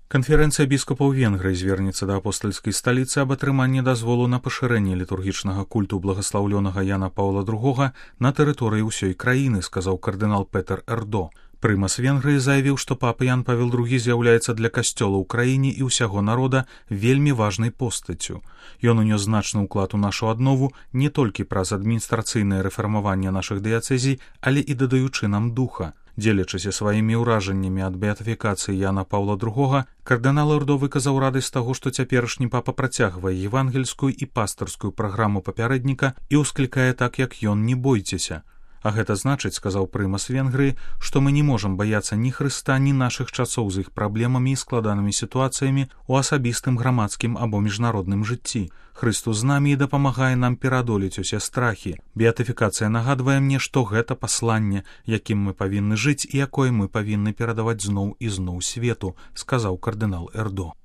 Канферэнцыя біскупаў Венгрыі звернецца да апостальскай сталіцы аб атрыманні дазволу на пашырэнне літургічнага культу благаслаўлёнага Яна Паўла II на тэрыторыі ўсёй краіны, сказаў кардынал Петер Эрдо. Прымас Венгрыі заявіў, што папа Ян Павел II з'яўляецца для касцёла ў краіне і ўсяго народа вельмі важнай постаццю. Ён унёс значны ўклад у нашу аднову не толькі праз адміністрацыйнае рэфармаванне нашых дыяцэзій, але і дадаючы нам духа. Дзелячыся сваімі ўражаннямі ад беатыфікацыі Яна Паўла II, кардынал Эрдо выказаў радасць таго, што цяперашні папа працягвае евангельскую і пастырскую праграму папярэдніка і ўсклікае так, як ён «не бойцеся». А гэта значыць, сказаў прымас Венгрыі, што мы не можам баяцца ні Хрыста, ні нашых часоў з іх праблемамі і складанымі сітуацыямі ў асабістым, грамадскім або міжнародным жыцці. Хрыстус з намі і дапамагае нам пераадолець усе страхі. Беатыфікацыя нагадвае мне, што гэта пасланне, якім мы павінны жыць і якое мы павінны перадаваць зноў і зноў свету, сказаў кардынал Эрдо.